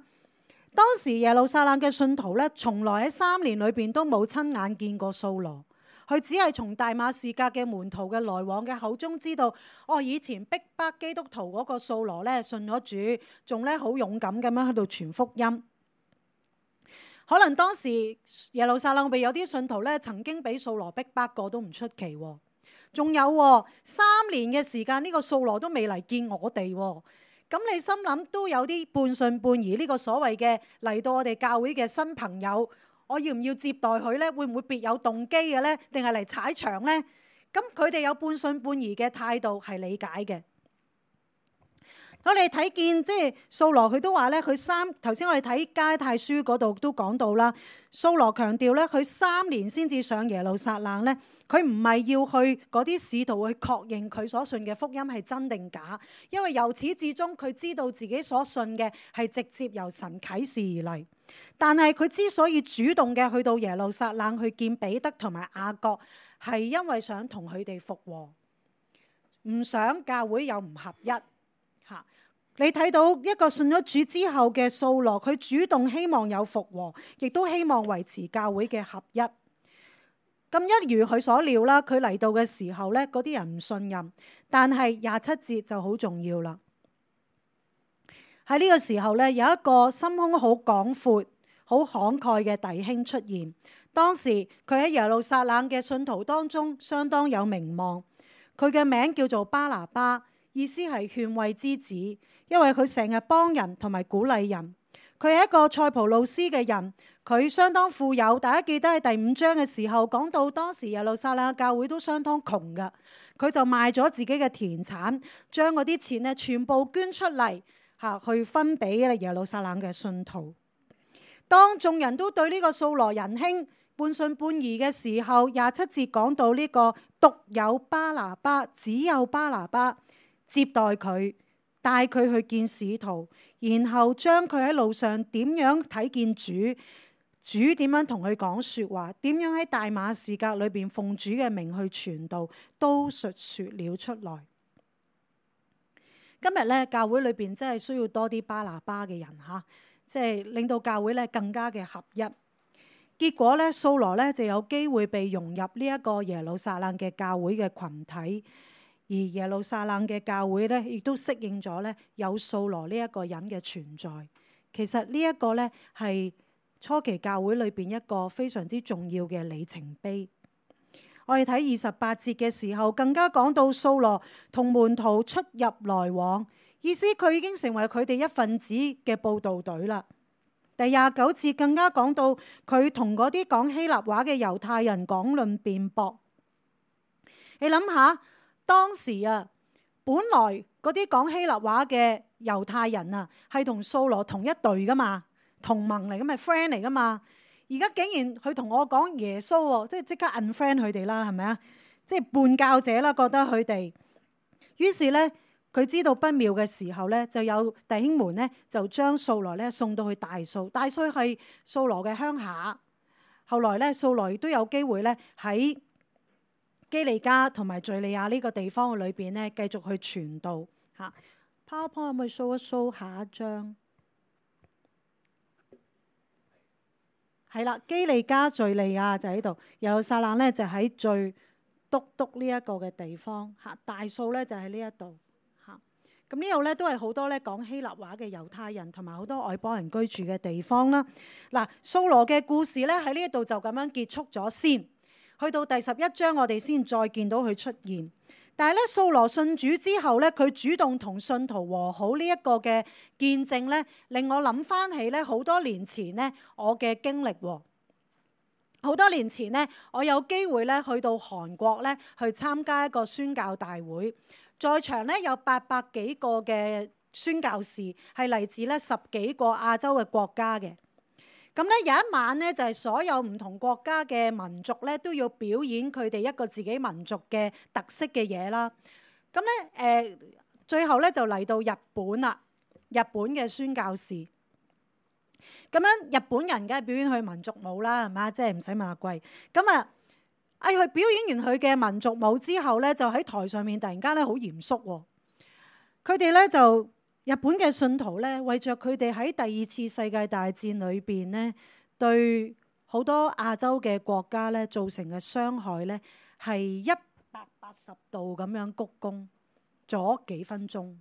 當時耶路撒冷嘅信徒咧，從來喺3年裏邊都冇親眼見過掃羅，佢只係從大馬士革嘅門徒嘅來往嘅口中知道，以前逼迫基督徒嗰個掃羅咧信咗主，仲咧好勇敢咁樣喺度傳福音。可能當時耶路撒冷裏邊有啲信徒咧，曾經俾掃羅逼迫過都唔出奇。仲有3年嘅時間，呢個掃羅都未嚟見我哋。咁你心諗都有啲半信半疑，呢個所謂嘅嚟到我哋教會嘅新朋友，我要唔要接待佢呢？會唔會別有動機嘅呢？定係嚟踩場呢？咁佢哋有半信半疑嘅態度係理解嘅。我哋睇見即係掃羅佢都話咧，頭先我哋睇加拉太書嗰度都講到啦。掃羅強調咧，佢3年先至上耶路撒冷咧，佢唔係要去嗰啲使徒去確認佢所信嘅福音係真定假，因為由始至終佢知道自己所信嘅係直接由神啟示而嚟。但係佢之所以主動嘅去到耶路撒冷去見彼得同埋雅各，係因為想同佢哋復和，唔想教會有唔合一。你睇到一個信咗主之後嘅掃羅，佢主動希望有復和，亦都希望維持教會嘅合一。咁一如佢所料啦，佢嚟到嘅時候咧，嗰啲人唔信任。但係27節就好重要啦。喺呢個時候咧，有一個心胸好廣闊、好慷慨嘅弟兄出現。當時佢喺耶路撒冷嘅信徒當中相當有名望。佢嘅名叫做巴拿巴，意思係勸慰之子。因為佢成日幫人同埋鼓勵人，佢係一個塞浦路斯嘅人，佢相當富有。大家記得喺第5章嘅時候講到，當時耶路撒冷嘅教會都相當窮㗎，佢就賣咗自己嘅田產，將嗰啲錢咧全部捐出嚟去分俾耶路撒冷嘅信徒。當眾人都對呢個掃羅仁兄半信半疑嘅時候，27節講到呢個獨有巴拿巴，只有巴拿巴接待佢，帶佢去見使徒，然後將佢喺路上點樣睇見主點樣同佢講說話，點樣喺大馬士革裏邊奉主嘅名去傳道，都述說了出來。今日咧，教會裏邊真係需要多啲巴拿巴嘅人吓，即係令到教會咧更加嘅合一。結果咧，掃羅咧就有機會被融入呢一個耶路撒冷嘅教會嘅群體。而耶路撒冷嘅教會咧，亦都適應咗咧有掃羅呢一個人嘅存在。其實呢一個咧係初期教會裏邊一個非常之重要嘅里程碑。我哋睇28節嘅時候，更加講到掃羅同門徒出入來往，意思佢已經成為佢哋一份子嘅佈道隊啦。第29節更加講到佢同嗰啲講希臘話嘅猶太人講論辯駁。你諗下。當時本來嗰啲講希臘話嘅猶太人係同掃羅同一隊噶嘛，同盟嚟噶嘛，friend 嚟噶嘛。而家竟然佢同我講耶穌，即刻 unfriend 佢哋啦，係咪啊？即係叛教者啦，覺得佢哋。於是咧，佢知道不妙嘅時候咧，就有弟兄們咧就將掃羅咧送到去大數。大數係掃羅嘅鄉下。後來咧，掃羅亦都有機會咧喺基利家同埋敘利亞呢個地方嘅裏邊咧，繼續去傳道嚇。PowerPoint 可唔可以 show 一 show 下一張？係啦，基利家敘利亞就喺度，耶路撒冷咧就喺最篤呢一個嘅地方嚇。大數咧就喺呢一度嚇。咁呢度咧都係好多咧講希臘話嘅猶太人同埋好多外邦人居住嘅地方啦。嗱，掃羅嘅故事咧喺呢一度就咁樣結束咗先。去到第11章，我哋先再見到佢出現。但係咧，掃羅信主之後咧，佢主動同信徒和好呢一個嘅見證咧，令我諗翻起咧好多年前咧我嘅經歷。好多年前咧，我有機會咧去到韓國咧去參加一個宣教大會，在場咧有800幾個嘅宣教士，係嚟自咧10幾個亞洲嘅國家嘅。咁咧有一晚咧，就係所有唔同國家嘅民族咧都要表演佢哋一個自己民族嘅特色嘅嘢啦。咁咧最後咧就嚟到日本啦，日本嘅宣教士。咁樣日本人梗係表演佢民族舞啦，係嘛？即係唔使問阿貴。咁佢表演完佢嘅民族舞之後咧，就喺台上面突然間咧好嚴肅喎。佢哋咧就日本嘅信徒咧，為着佢哋喺第2次世界大戰裏邊咧，對好多亞洲嘅國家咧造成嘅傷害咧，係180度咁樣鞠躬咗幾分鐘。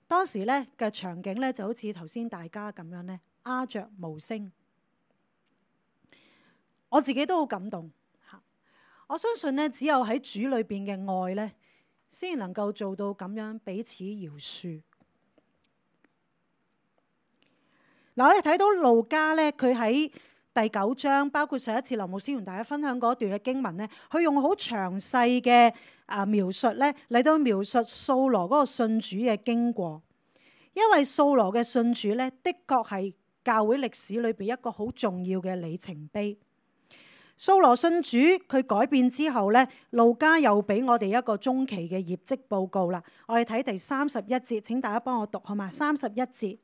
當時咧嘅場景咧就好似頭先大家咁樣咧，鴉雀無聲。我自己都好感動嚇。我相信咧，只有喺主裏邊嘅愛咧，先能夠做到咁樣彼此饒恕。嗱，我哋睇到路加咧，佢喺第9章，包括上一次林牧師同大家分享嗰段嘅經文咧，佢用好詳細嘅描述咧嚟到描述掃羅嗰個信主嘅經過。因為掃羅嘅信主咧，的確係教會歷史裏邊一個好重要嘅里程碑。掃羅信主，佢改變之後咧，路加又俾我哋一個中期嘅業績報告啦。我哋睇第31節，請大家幫我讀好嘛？31節。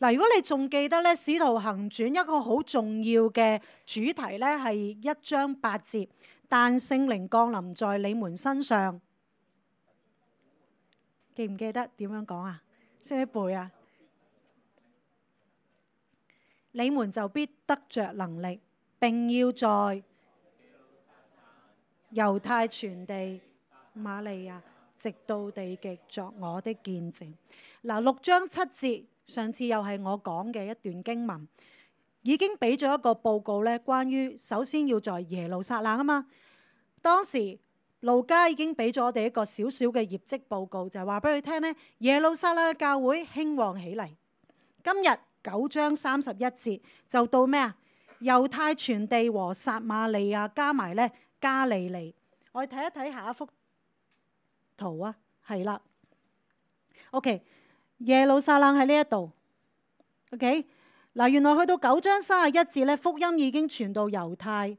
嗱，如果你仲記得咧，《使徒行傳》一個好重要嘅主題咧，係1章8節，但聖靈降臨在你們身上，記唔記得點樣講啊？識唔識背啊？你們就必得着能力，並要在猶太全地、瑪利亞，直到地極作我的見證。嗱，6章7節。上次又係我講嘅一段經文，已經俾咗一個報告咧，關於首先要在耶路撒冷啊嘛。當時路加已經俾咗我哋一個小小嘅業績報告，就係話俾佢聽咧，耶路撒冷嘅教會興旺起嚟。今日9章31節就到咩啊？猶太全地和撒瑪利亞加埋咧加利利。我哋睇一睇下一幅圖啊，係啦 ，OK。耶路撒冷喺呢一度 ，OK 嗱，原來去到9章31節咧，福音已經傳到猶太、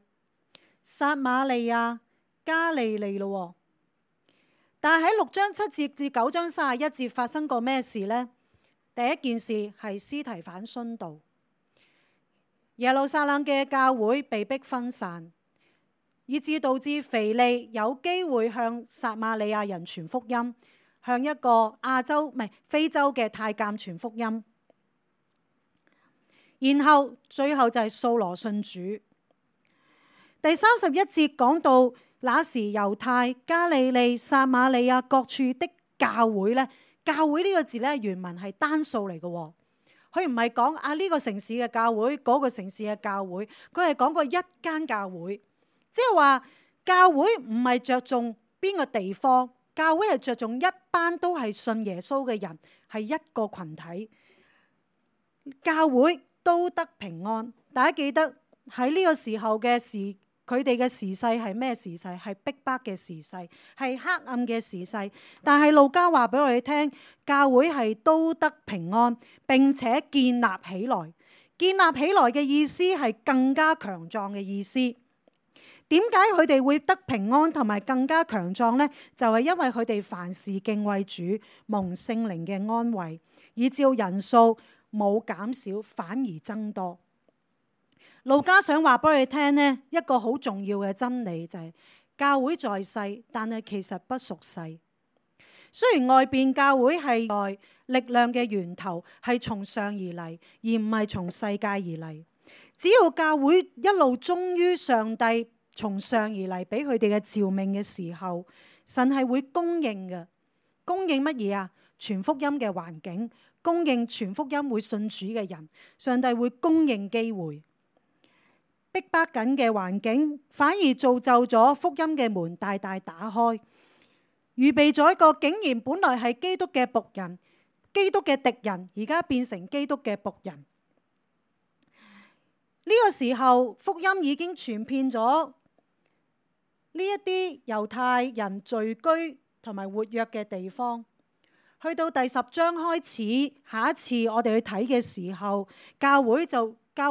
撒瑪利亞、加利利咯。但係喺6章7節至9章31節發生過咩事呢？第一件事係司提反殉道，耶路撒冷嘅教會被迫分散，以致導致腓利有機會向撒瑪利亞人傳福音。向一個非洲嘅太監傳福音，然後最後就係掃羅信主。第31節講到那時猶太、加利利、撒瑪利亞各處的教會咧，教會呢個字咧原文係單數嚟嘅，佢唔係講呢個城市嘅教會，嗰個城市嘅教會，佢係講過一間教會，即係話教會唔係着重邊個地方。教會係着重一班都係信耶穌嘅人，係一個群體。教會都得平安。大家記得喺呢個時候嘅佢哋嘅時勢係咩時勢？係逼迫嘅時勢，係黑暗嘅時勢。但係路加話俾我哋聽，教會係都得平安，並且建立起來。建立起來嘅意思係更加強壯嘅意思。點解佢哋會得平安同埋更加強壯呢？就係因為佢哋凡事敬畏主，蒙聖靈嘅安慰，以致人數冇減少，反而增多。路加想話俾佢哋聽呢，一個好重要嘅真理就係教會在世，但係其實不屬世。雖然外邊教會係內力量嘅源頭，係從上而嚟，而唔係從世界而嚟。只要教會一路忠於上帝從上而嚟俾佢哋嘅召命嘅時候，神係會供應嘅。供應乜嘢啊？傳福音嘅環境，供應傳福音會信主嘅人。上帝會供應機會。逼迫緊嘅環境，反而造就咗福音嘅門大大打開，預備咗一個竟然本來係基督嘅僕人、基督嘅敵人，而家變成基督嘅僕人。呢個時候，福音已經傳遍咗呢一啲猶太人聚居同埋活躍嘅地方。去到第10章開始，下一次我哋去睇嘅時候，教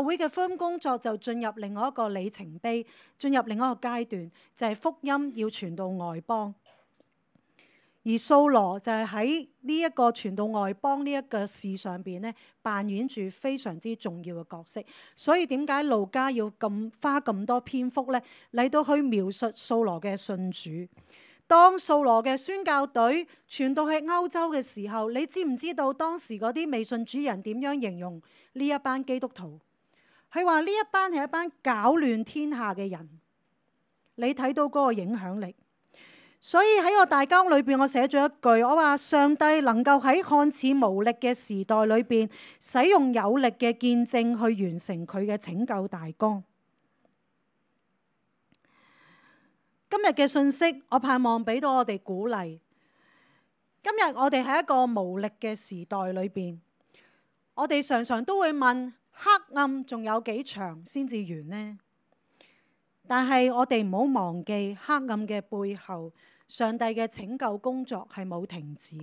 會嘅福音工作就進入另外一個里程碑，進入另外一個階段，就係福音要傳到外邦。而掃羅就係喺呢一個傳到外邦呢一個事上邊咧，扮演住非常之重要嘅角色。所以點解路加要花咁多篇幅咧嚟到去描述掃羅嘅信主？當掃羅嘅宣教隊傳到去歐洲嘅時候，你知唔知道當時嗰啲未信主人點樣形容呢一班基督徒？佢話呢一班係一班攪亂天下嘅人。你睇到嗰個影響力。所以喺我大綱裏邊，我寫咗一句，我話上帝能夠喺看似無力嘅時代裏邊，使用有力嘅見證去完成佢嘅拯救大綱。今日嘅信息，我盼望俾到我哋鼓勵。今日我哋喺一個無力嘅時代裏邊，我哋常常都會問：黑暗仲有幾長先至完呢？但係我哋唔好忘記黑暗嘅背後，上帝嘅拯救工作係冇停止。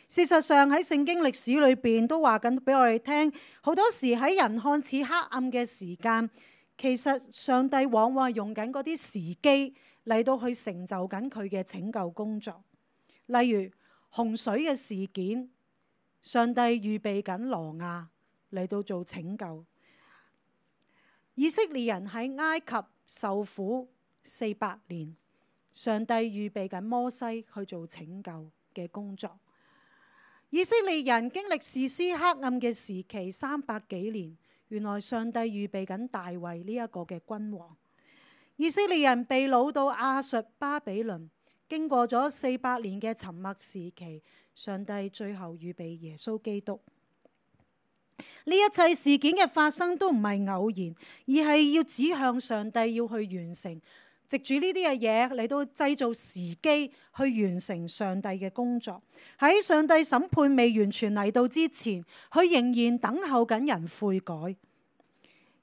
事實上喺聖經歷史裏邊都話緊俾我哋聽，好多時喺人看似黑暗嘅時間，其實上帝往往係用緊嗰啲時機嚟到去成就緊佢嘅拯救工作。例如洪水嘅事件，上帝預備緊挪亞嚟到做拯救。以色列人喺埃及受苦400年，上帝預備緊摩西去做拯救嘅工作。以色列人經歷士師黑暗嘅時期300幾年，原來上帝預備緊大衛呢一個嘅君王。以色列人被擄到亞述巴比倫，經過咗400年嘅沉默時期，上帝最後預備耶穌基督。呢一切事件嘅發生都唔係偶然，而係要指向上帝要去完成，藉住呢啲嘅嘢嚟到製造時機去完成上帝嘅工作。喺上帝審判未完全嚟到之前，佢仍然等候緊人悔改。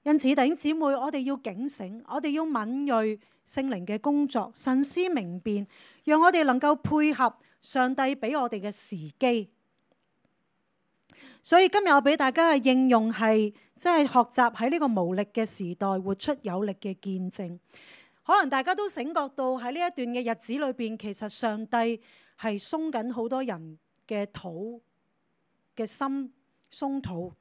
因此弟兄姊妹，我哋要警醒，我哋要敏銳聖靈嘅工作，慎思明辨，讓我哋能夠配合上帝俾我哋嘅時機。所以今日我俾大家嘅應用係，即係學習喺呢個無力嘅時代活出有力嘅見證。可能大家都醒覺到喺呢一段嘅日子裏邊，其實上帝係鬆緊好多人嘅肚嘅心，鬆肚。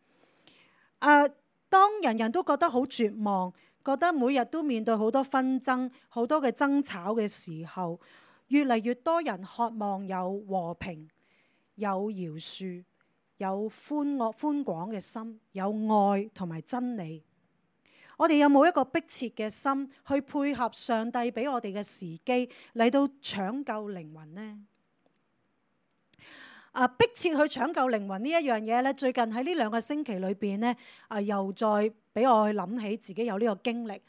當人人都覺得好絕望，覺得每日都面對好多紛爭、好多嘅爭吵嘅時候，越嚟越多人渴望有和平、有饒恕、有寬廣嘅心，有愛同埋真理。我哋有冇一個迫切嘅心去配合上帝俾我哋嘅時機嚟到搶救靈魂呢？迫切去搶救靈魂呢一樣嘢咧，最近喺呢2個星期裏邊咧，又再俾我去諗起自己有呢個經歷。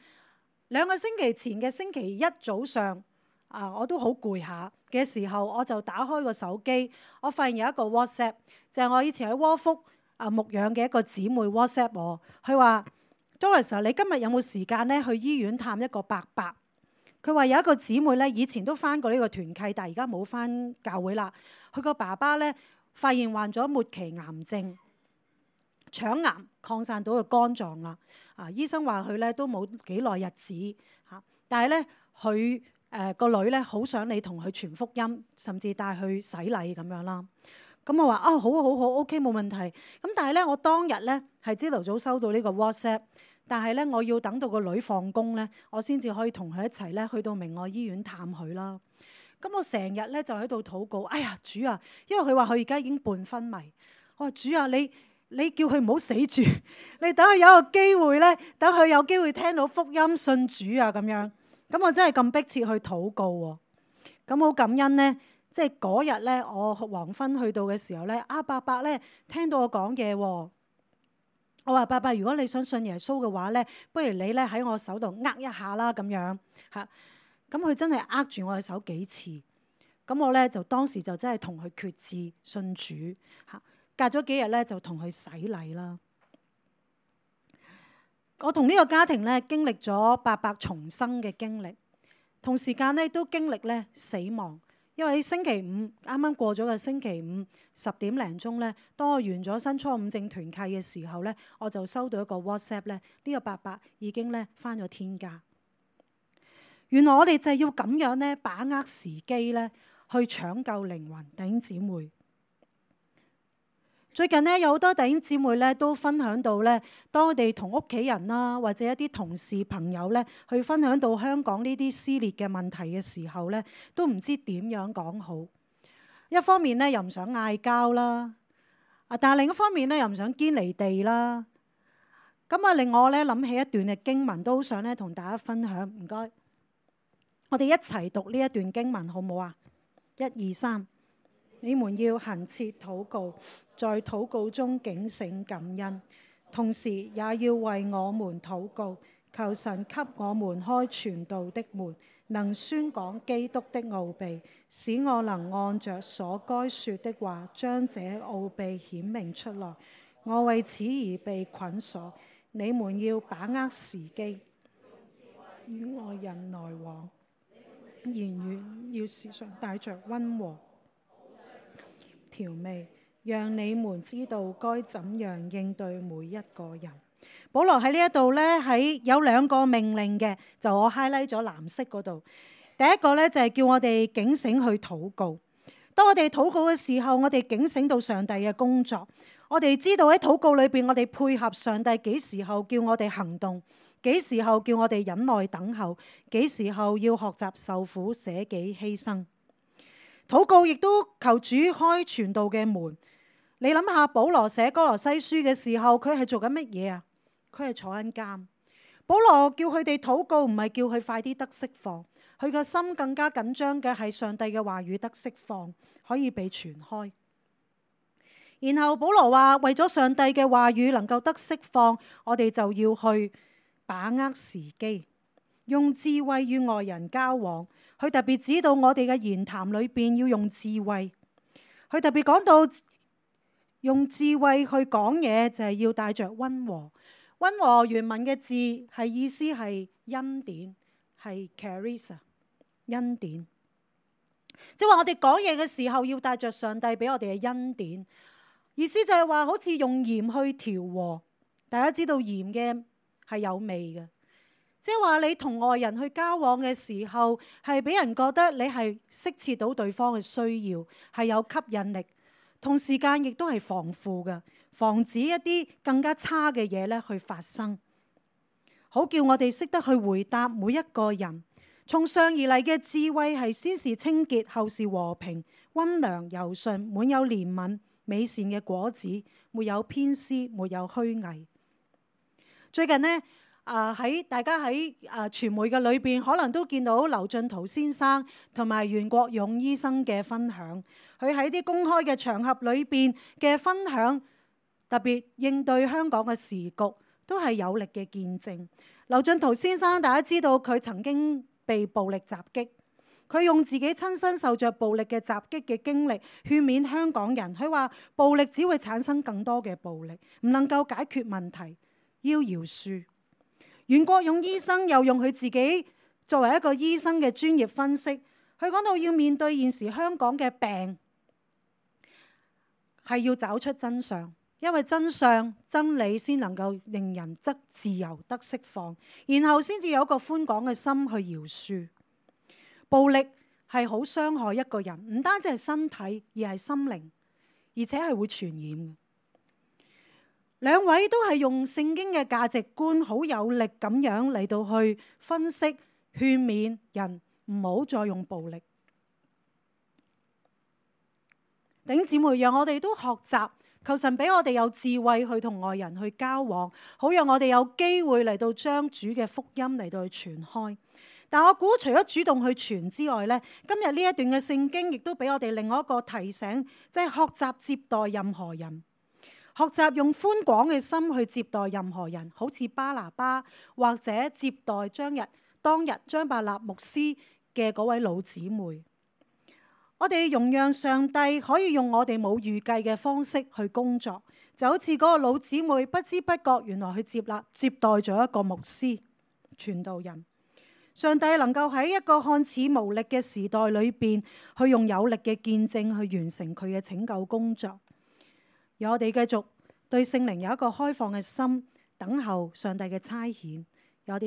2個星期前嘅星期一早上，我都好攰下嘅時候，我就打開個手機，我發現有一個 WhatsApp， 就係我以前喺窩福牧養嘅一個姊妹 WhatsApp 我，佢話：Doris，你今日有冇時間咧去醫院探一個伯伯？佢話有一個姊妹咧，以前都返過呢個團契，但係而家冇返教會啦。佢個爸爸咧發現患咗末期癌症，腸癌擴散到個肝臟啦。醫生話佢咧都冇幾耐日子嚇，但係咧佢個女咧好想你同佢傳福音，甚至帶去洗禮咁樣啦。咁我話好好好 OK 冇問題。咁但係咧我當日咧係朝頭早收到呢個 WhatsApp， 但係咧我要等到個女放工咧，我先至可以同佢一齊咧去到明愛醫院探佢啦。咁我成日咧就喺度禱告，哎呀主啊，因為佢話佢而家已經半昏迷。我話主啊，你叫佢唔好死住，你等佢有個機會咧，等佢有機會聽到福音信主啊咁樣。咁我真係咁迫切去禱告喎。咁好感恩咧，即係嗰日咧，我黃昏去到嘅時候咧，伯伯咧聽到我講嘢喎。我話伯伯，如果你想信耶穌嘅話咧，不如你咧喺我手度握一下啦咁樣嚇。咁佢真係握住我嘅手幾次，咁我咧就當時就真係同佢決志信主嚇。隔咗幾日咧就同佢洗禮啦。我同呢個家庭咧經歷咗伯伯重生嘅經歷，同時間咧都經歷咧死亡。因為喺星期五啱啱過咗嘅星期五10點零鐘咧，當我完咗新初五正團契嘅時候咧，我就收到一個 WhatsApp 咧，呢個伯伯已經咧返咗天家。原來我哋就係要咁樣咧，把握時機咧，去搶救靈魂。弟兄姊妹，最近咧有好多弟兄姊妹咧都分享到咧，當我哋同屋企人啦，或者一啲同事朋友咧，去分享到香港呢啲撕裂嘅問題嘅時候咧，都唔知點樣講好。一方面咧又唔想嗌交啦，但係另一方面咧又唔想堅離地啦。咁令我咧諗起一段嘅經文，都好想咧同大家分享。唔該。我哋一齊讀呢一段經文好唔好啊？1、2、3，你們要恆切禱告，在禱告中警醒感恩，同時也要為我們禱告，求神給我們開傳道的門，能宣講基督的奧秘，使我能按着所該說的話，將這奧秘顯明出來。我為此而被捆鎖，你們要把握時機，與外人來往，言語要時常帶着溫和調味，讓你們知道該怎樣應對每一個人。保羅喺呢一度呢，喺有2個命令嘅，就我 highlight 咗藍色嗰度。第一個呢，就係叫我哋警醒去禱告。當我哋禱告嘅時候，我哋警醒到上帝嘅工作。我哋知道喺禱告裏邊，我哋配合上帝幾時候叫我哋行動，幾時候叫我哋忍耐等候，幾時候要學習受苦捨己犧牲。禱告亦都求主開傳道嘅門。你諗下，保羅寫哥羅西書嘅時候，佢係做緊乜嘢啊？佢係坐緊監。保羅叫佢哋禱告，唔係叫佢快啲得釋放，佢個心更加緊張嘅係上帝嘅話語得釋放，可以被傳開。然後保羅話，為咗上帝嘅話語能夠得釋放，我哋就要去把握時機，用智慧與外人交往。佢特別指導我哋嘅言談裏邊要用智慧。佢特別講到用智慧去講嘢，就係要帶着溫和。溫和原文嘅字係意思係恩典，係 charis 恩典。即係話我哋講嘢嘅時候要帶着上帝俾我哋嘅恩典。意思就係話好似用鹽去調和。大家知道鹽嘅係有味嘅，即係話你同外人去交往嘅時候，係俾人覺得你係適切到對方嘅需要，係有吸引力，同時間亦都係防腐嘅，防止一啲更加差嘅嘢咧去發生。好叫我哋識得去回答每一個人。從上而嚟嘅智慧係先是清潔，後是和平、溫良、柔順，滿有憐憫、美善嘅果子，沒有偏私，沒有虛偽。最近呢，大家喺傳媒嘅裏邊，可能都見到劉進圖先生同埋袁國勇醫生嘅分享。佢喺啲公開嘅場合裏邊嘅分享，特別應對香港嘅時局，都係有力嘅見證。劉進圖先生，大家知道佢曾經被暴力襲擊。佢用自己親身受着暴力嘅襲擊嘅經歷，勸勉香港人。佢話暴力只會產生更多嘅暴力，唔能夠解決問題，要饒恕。袁國勇醫生又用佢自己作為一個醫生嘅專業分析，佢講到要面對現時香港嘅病，係要找出真相，因為真相真理先能夠令人得自由得釋放，然後先至有一個寬廣嘅心去饒恕。暴力係好傷害一個人，唔單止係身體，而係心靈，而且係會傳染嘅。兩位都係用聖經嘅價值觀，好有力咁樣嚟到去分析、勸勉人唔好再用暴力。弟兄姊妹，讓我哋都學習，求神俾我哋有智慧去同外人去交往，好讓我哋有機會嚟到將主嘅福音嚟到去傳開。但我估除咗主動去傳之外呢，今日呢一段嘅聖經亦都俾我哋另外一個提醒，即係學習接待任何人，學習用寬廣嘅心去接待任何人，好似巴拿巴或者接待當日張伯納牧師嘅嗰位老姊妹。我哋容讓上帝可以用我哋冇預計嘅方式去工作，就好似嗰個老姊妹不知不覺原來去接待咗一個牧師傳道人。上帝能夠喺一個看似無力嘅時代裏邊，去用有力嘅見證去完成佢嘅拯救工作。而我哋繼續對聖靈有一個開放嘅心，等候上帝嘅差遣。我哋